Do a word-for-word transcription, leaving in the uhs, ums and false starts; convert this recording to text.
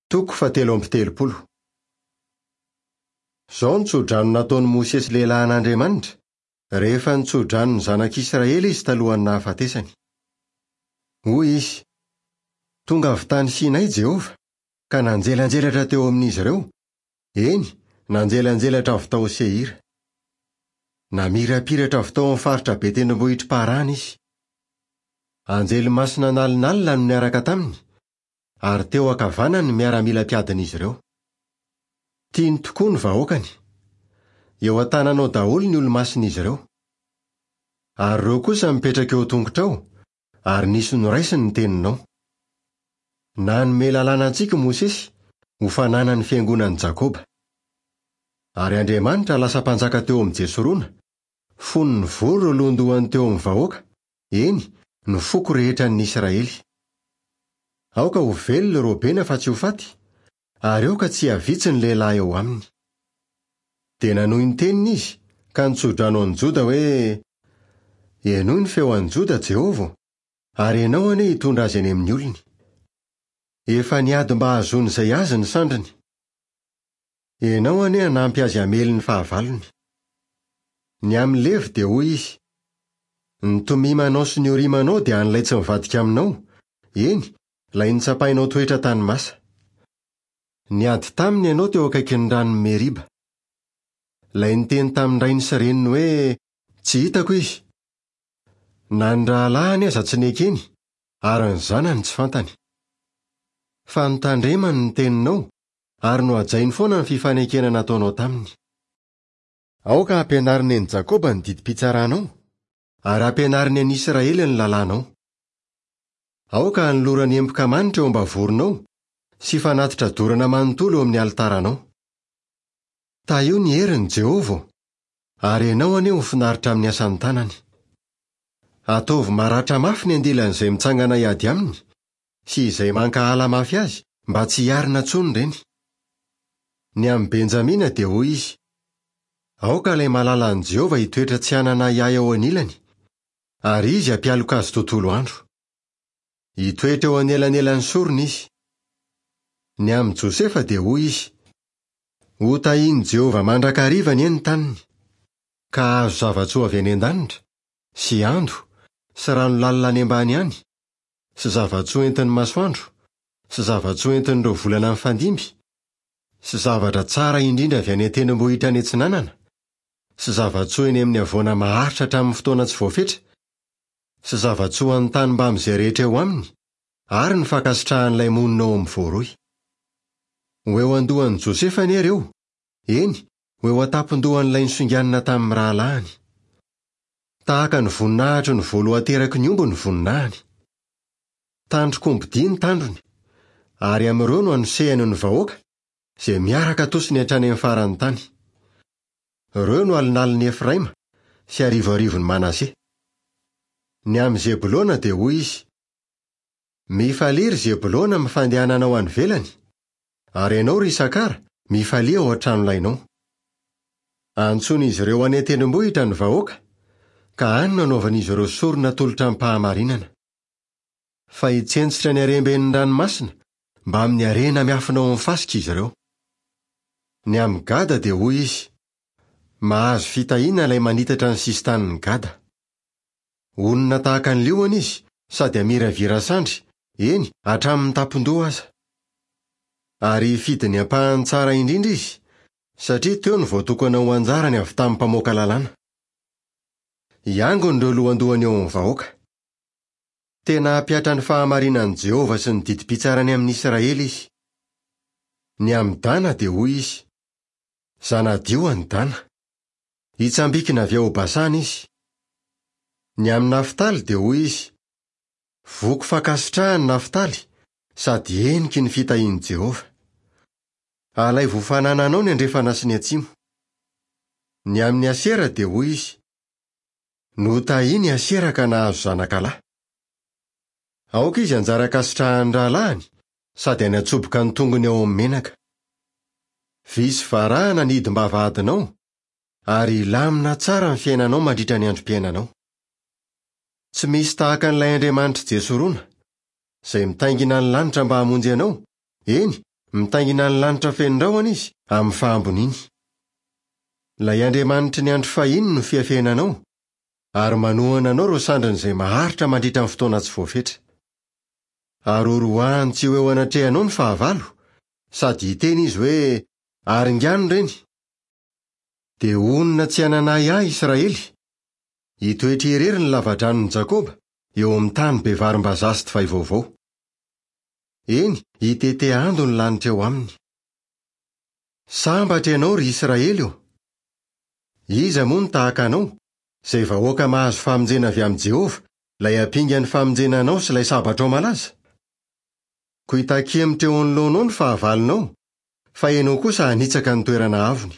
Toko fahatelo amby telopolo. Izao no tsodrano nataon'i Mosesy lehilahin'Andriamanitra rehefa nitsodrano ny zanak'Israely izy talohan'ny nahafatesany. Hoy izy: Tonga avy tany Sinay Jehovah, ka nanjelanjelatra teo amin'izy ireo, eny, nanjelanjelatra avy tao Seira. Namirapiratra avy tao amin'ny faritra be tendrombohitr'i Parana izy. Anjely masina an'alinalina no niaraka taminy, ary teo ankavanany ny miaramila mpiadin'izy ireo. Tiany tokoa ny vahoakany. Eo an-tananao daholo ny olo-masin'izy ireo. Ary ireo kosa mipetraka eo an-tongotrao, ary nisy noraisiny ny teninao. Nanome lalàna antsika Mosesy ho fananan'ny fiangonan'i Jakoba. Ary Andriamanitra lasa mpanjaka teo amin'i Jesorona, fony nivory ireo lohandohany teo amin'ny vahoaka, eny, ny foko rehetra an'ny Israely. Aoka ho velona Robena fa tsy ho faty, ary aoka tsy hihavitsy ny lehilahy eo aminy. Dia nanohy ny teniny izy, ka nitsodrano an'i Joda hoe: Henoy ny feo an'i Joda, Jehovah, ary ianao anie hitondra azy any amin'ny olony. Efa niady mba hahazoany izay azy ny sandriny. Ianao anie hanampy azy hamely ny fahavalony. Ny amin'ny Levy dia hoy izy: Ny tomimanao sy ny orimanao dia an'ilay tsy mivadika aminao, eny, ilay nitsapainao toetra tany Masa. Niady taminy ianao teo akaikin'ny ranon'i Meriba. Ilay niteny tamin'ny rainy sy reniny hoe: Tsy hitako izy. Na ny rahalahiny aza tsy nekeny, ary ny zanany tsy fantany. Fa notandremany ny teninao, ary nohajainy foana ny fifanekena nataonao taminy. Aoka hampianariny an'i Jakoba ny didim-pitsaranao, ary hampianariny an'i Israely ny lalànao. Aoka hanolorany emboka manitra eo am-bavoronao sy fanatitra dorana manontolo eo amin'ny alitaranao. Tahio ny heriny, Jehovah, ary ianao anie ho finaritra amin'ny asan'ny tanany. Ataovy maratra mafy ny andilan'izay mitsangana hiady aminy sy izay mankahala mafy azy mba tsy hiarina intsony ireny. Ny amin'i Benjamina dia hoy izy: Aoka ilay malalan'i Jehovah hitoetra tsy hanana ahiahy eo anilany, ary izy hampialoka azy tontolo andro. Hitoetra eo anelanelan'ny sorona izy. Ny amin'i Josefa dia hoy izy: Ho tahian'i Jehovah mandrakariva anie ny taniny, ka hahazo zava-tsoa avy any an-danitra, sy ando, sy rano lalina any ambany any, sy zava-tsoa entin'ny masoandro, sy zava-tsoa entin'ireo volana mifandimby, sy zavatra tsara indrindra avy any an-tendrombohitra any atsinanana, sy zava-tsoa eny amin'ny havoana maharitra hatramin'ny fotoana tsy voafetra, sy zava-tsoa an'ny tany mbamin'izay rehetra eo aminy, ary ny fankasitrahan'ilay monina ao amin'ny voaroy. Ho eo an-dohan'i Josefa anie ireo, eny, ho eo an-tampon-dohan'ilay nisonganina tamin'ny rahalahiny. Tahaka ny voninahitry ny voalohan-teraky ny omby ny voninahiny. Tandrok'ombidia ny tandrony, ary amin'ireo no anosehany ny vahoaka, izay miaraka atosiny hatrany amin'ny faran'ny tany. Ireo no alinalin'i Efraima sy arivoarivon'i Manase. Ny amin'i Zebolona dia hoy izy: Mifalia ry Zebolona amin'ny fandehananao any ivelany, ary ianao ry Isakara, mifalia ao an-tranolainao. Antsoin'izy ireo any an-tendrombohitra ny vahoaka, ka any no anaovan'izy ireo sorona atolotra amim-pahamarinana. Fa hitsentsitra ny haremben'ny ranomasina mbamin'ny harena miafina ao amin'ny fasika izy ireo. Ny amin'i Gada dia hoy izy: Mahazo fitahiana ilay manitatra ny sisin-tanin'i Gada. Honina tahaka ny liona izy sady hamiravira sandry, eny, hatramin'ny tampon-doha aza. Ary hifidy ny ampahany tsara indrindra izy, satria teo no voatokana ho anjarany avy tamin'ny mpamoaka lalàna. Hiangona ireo lohandohany eo amin'ny vahoaka. Tena hampihatra ny fahamarinan'i Jehovah sy ny didim-pitsarany amin'i Israely izy. Ny amin'i Dana dia hoy izy: Zanadio an'i Dana. Hitsambikina avy ao Basana izy. Ny amin'i Naftaly dia hoy izy: Voky fankasitrahany Naftaly sady heniky ny fitahian'i Jehovah. Alaivo ho fanananao ny andrefana sy ny atsimo. Ny amin'i Asera dia hoy izy: Notahiny Asera ka nahazo zanakalahy. Aoka izy hanjary ankasitrahan'ny rahalahiny sady hanatsoboka ny tongony ao amin'ny menaka. Vy sy varahana ny hidim-bavahadinao, ary hilamina tsara ny fiainanao mandritra ny androm-piainanao. Tsy misy tahaka an'ilay Andriamanitr'i Jesorona, izay mitaingina ny lanitra mba hamonjy anao, eny, Mitaingina ny lanitra feno rahona izy amin'ny fahamboniany. Ilay Andriamanitry ny andro fahiny no fiafenanao, ary manohana anao ireo sandriny izay maharitra mandritra ny fotoana tsy voafetra. Ary horoahany tsy ho eo anatrehanao ny fahavalo, sady hiteny izy hoe aringano ireny. Dia honina tsy hanana ahiahy Israely. Hitoetra irery ny lavadranon'i Jakoba eo amin'ny tany be varim-bazaha sy divay vaovao. Eny, hitete ando ny lanitra eo aminy. Sambatra ianao ry Israely ô! Iza moa no tahaka anao, izay vahoaka mahazo famonjena avy amin'i Jehovah, ilay ampingan'ny famonjena anao sy ilay sabatrao malaza? Koa hitaky hemotra eo anoloanao ny fahavalonao, fa ianao kosa hanitsaka ny toerana avony.